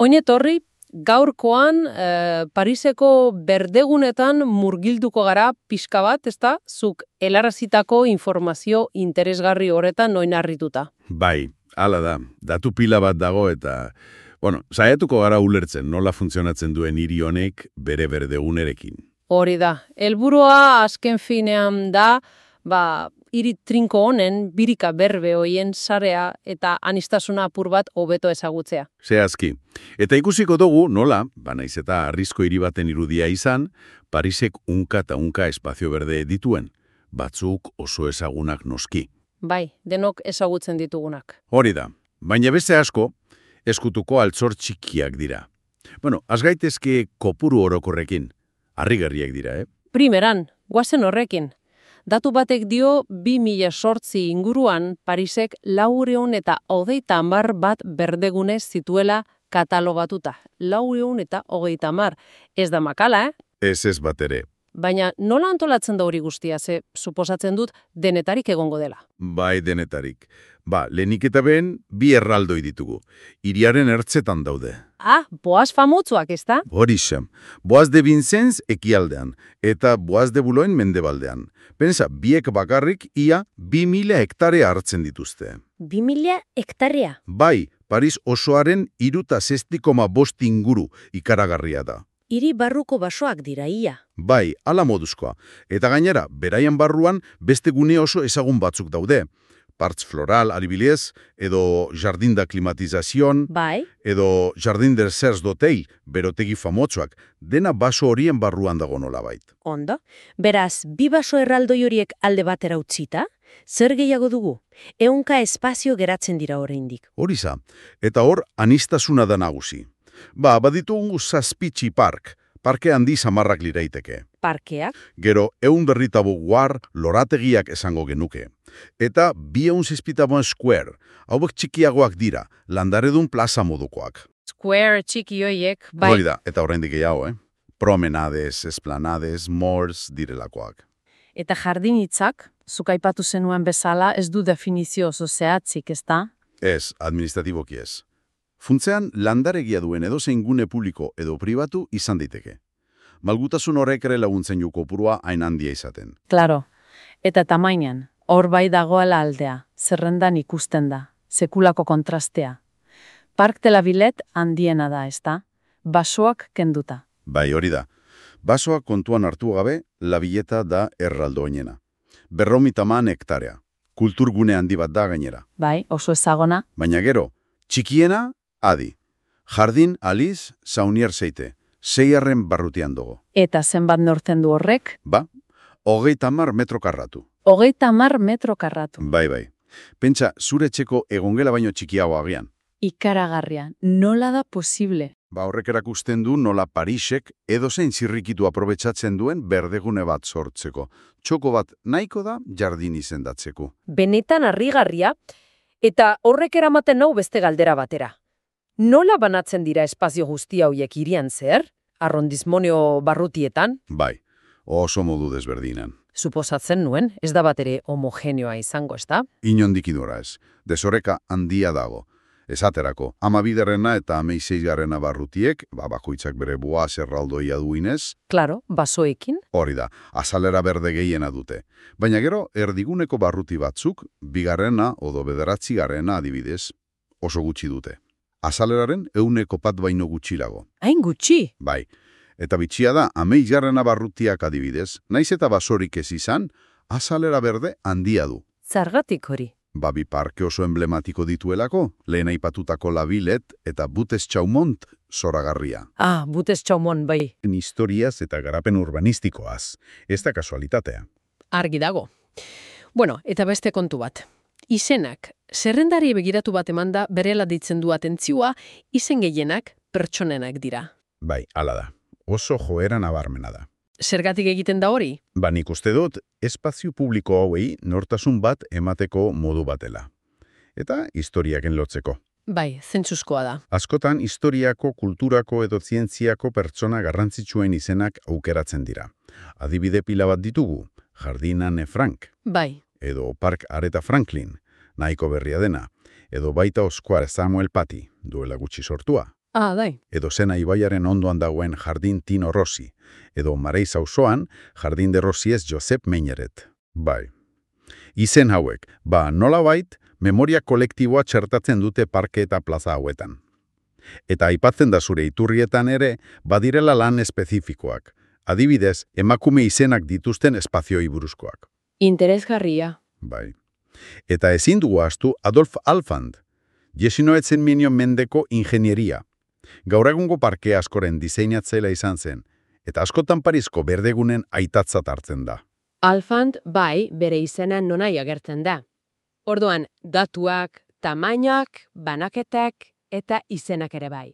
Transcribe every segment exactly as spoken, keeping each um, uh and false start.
Oinetorri, gaurkoan eh, Pariseko berdegunetan murgilduko gara pixka bat, ezta? Zuk helarazitako informazio interesgarri horretan oinarrituta. Bai, hala da. Datu pila bat dago eta, bueno, saiatuko gara ulertzen nola funtzionatzen duen hiri honek bere berdegunerekin. Hori da. Helburua azken finean da, ba, hiri trinko honen birika berbe hoien sarea eta anistasuna apur bat hobeto ezagutzea. Zehazki. Eta ikusiko dugu nola, ba naiz eta arrizko hiri baten irudia izan, Parisek unka eta unka espazio berde dituen, batzuk oso ezagunak noski. Bai, denok ezagutzen ditugunak. Hori da, baina beste asko, eskutuko altzor txikiak dira. Bueno, az gaitezke kopuru orokorrekin, harrigarriak dira, eh? Primeran, guazen horrekin. Datu batek dio bi mila zortzi inguruan Parisek laurehun eta hogeita hamar bat berdegune zituela katalogatuta. Laurehun eta hogeita hamar. Ez da makala, eh? Ez ez bat ere. Baina nola antolatzen da hori guztia, ze suposatzen dut denetarik egongo dela. Bai, denetarik. Ba, lehenik eta ben, bi erraldoi ditugu. Hiriaren ertzetan daude. Ah, Boaz famotzuak, ez da? Horixe, Boaz de Vincennes ekialdean, eta Boaz de Boulogne mendebaldean. Pensa, biek bakarrik ia bi mila hektarea hartzen dituzte. Bi mila hektarea? Bai, Paris osoaren iruta zesti koma bost inguru ikaragarria da. Hiri barruko basoak dira ia. Bai, ala moduzkoa. Eta gainera, beraian barruan beste gune oso ezagun batzuk daude. Parts floral, adibidez, edo jardin da klimatizazion, Bai. edo jardin der Serres d'Hotel, berotegi famotsuak, dena baso horien barruan dago nolabait. Ondo. Beraz, bi baso erraldoi horiek alde batera utzita, zer gehiago dugu? Ehunka espazio geratzen dira oraindik. Horiza, eta hor anistasuna da nagusi. Ba, baditugu zazpitxi park, parke handi samarrak liraiteke. Parkeak? Gero, eun berritabu guar lorategiak esango genuke. Eta bi eun zizpitabuen square, hauek txikiagoak dira, landaredun plaza modukoak. Square txiki hoiek, bai. Hori da, eta oraindik gehiago, eh? Promenades, esplanades, malls direlakoak. Eta jardinitzak, zuk aipatu zenuen bezala, ez du definizio oso zehatzik, ez da? Ez, administratiboki ez. Funtzean, landaregia duen edozein gune publiko edo pribatu izan daiteke. Malgutasun horrek ere laguntzen ju kopurua hain handia izaten. Claro. Eta tamainan, hor bai dagoela aldea, zerrendan ikusten da, sekulako kontrastea. Park de la Villette handiena da, ez da? Basoak kenduta. Bai, hori da. Basoak kontuan hartu gabe, la Villeta da erraldo oinena. Berromitaman hektarea. Kulturgune handi bat da gainera. Bai, oso ezagona. Baina gero, txikiena, adi. Jardin Alice Saunier Seite, seiarren barrutian dugu. Eta zenbat nortzen du horrek? Ba, hogeita hamar metro karratu. Hogeita hamar metro karratu. Bai, bai. Pentsa, zure etxeko egongela baino txikiago agian. Ikaragarria, nola da posible? Ba, horrek erakusten du nola Parisek edozein zirrikitu aprobetxatzen duen berdegune bat sortzeko. Txoko bat nahiko da jardin izendatzeko. Benetan harrigarria, eta horrek eramaten nau beste galdera batera. Nola banatzen dira espazio guztia horiek hirian zer? Arrondismonio barrutietan? Bai, oso modu desberdinan. Suposatzen nuen, ez da bat ere homogeneoa izango, ez da? Inondik idora ez, desoreka handia dago. Esaterako, amabiderrena eta ameiseizgarrena barrutiek, ba, bakoitzak bere Boaz erraldoia duinez. Claro, basoekin. Hori da, azalera berde gehiena dute. Baina gero, erdiguneko barruti batzuk, bigarrena odo bederatzigarrena adibidez, oso gutxi dute. Azaleraren euneko pat baino gutxilago. Hain gutxi? Bai, eta bitxia da, ameigarrena barrutiak adibidez, naiz eta basorik ez izan, azalera berde handia du. Zergatik hori? Babi parke oso emblematiko dituelako, lehen aipatutako La Villette eta Butes Chaumont zoragarria. Ah, Butes Chaumont, bai. Historiaz eta garapen urbanistikoaz, ez da kasualitatea. Argi dago. Bueno, eta beste kontu bat. Izenak, zerrendari begiratu bat emanda berela ditzen du atentzioa, izen gehienak pertsonenak dira. Bai, hala da. Oso joera nabarmena da. Zergatik egiten da hori? Ba, nik uste dut, espazio publiko hauei nortasun bat emateko modu batela. Eta historiaken lotzeko. Bai, zentzuzkoa da. Askotan, historiako, kulturako edo zientziako pertsona garrantzitsuen izenak aukeratzen dira. Adibide pila bat ditugu, Jardin Anne Frank. Bai. Edo Park Aretha Franklin, nahiko berria dena. Edo baita Oscar Samuel Paty, duela gutxi sortua. Ah, dai. Edo Sena ibaiaren ondoan dagoen Jardin Tino Rossi, edo Mareiz auzoan Jardin de Rosiez Josep Meñeret. Bai. Izen hauek, ba nolabait, memoria kolektiboa txertatzen dute parke eta plaza hauetan. Eta aipatzen da zure iturrietan ere, badirela lan espezifikoak. Adibidez, emakume izenak dituzten espazioi buruzkoak. Interesgarria. Bai. Eta ezin dugu ahaztu Adolf Alfand, jesinoetzen minio mendeko ingenieria. Gaur egungo parke askoren diseinatzailea izan zen, eta askotan Parisko berdegunen aitatzat hartzen da. Alfand, bai, bere izena nonai agertzen da. Orduan, datuak, tamainak, banaketak eta izenak ere bai.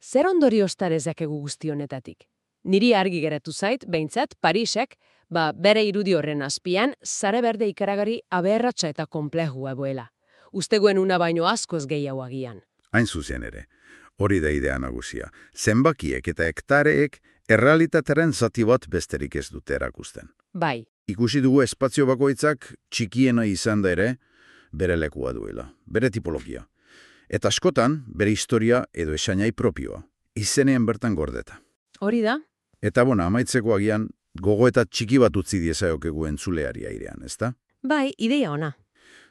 Zer ondoriozta dezakegu guzti honetatik? Niri argi geratu zait, behintzat, Parisek, ba, bere irudi horren azpian, sare berde ikaragari aberratsa eta konplejua boela. Usteguen una baino askoz gehiago agian. Hain zuzen ere, hori da idea nagusia. Zenbakiek eta hektareek errealitateren zati bat besterik ez dute erakusten. Bai. Ikusi dugu espazio bakoitzak txikiena izan da ere, bere lekua duela, bere tipologia. Eta askotan, bere historia edo esainai propioa, izenean bertan gordeta. Hori da? Eta bona, amaitzeko agian, gogoeta txiki bat utzi diezaiokegu entzuleari airean, ezta? Bai, ideia ona.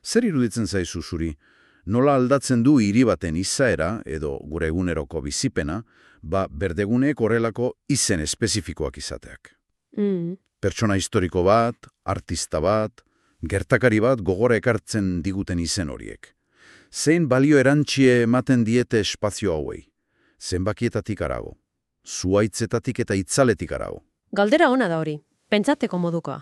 Zer iruditzen zaizu zuri, nola aldatzen du hiri baten izaera edo gure eguneroko bizipena, ba berdeguneek horrelako izen espezifikoak izateak. Mm. Pertsona historiko bat, artista bat, gertakari bat gogora ekartzen diguten izen horiek. Zein balio erantzie ematen diete espazio hauei? Zenbakietatik arago, zuaitzetatik eta itzaletik arago. Galdera ona da hori, pentsateko modukoa.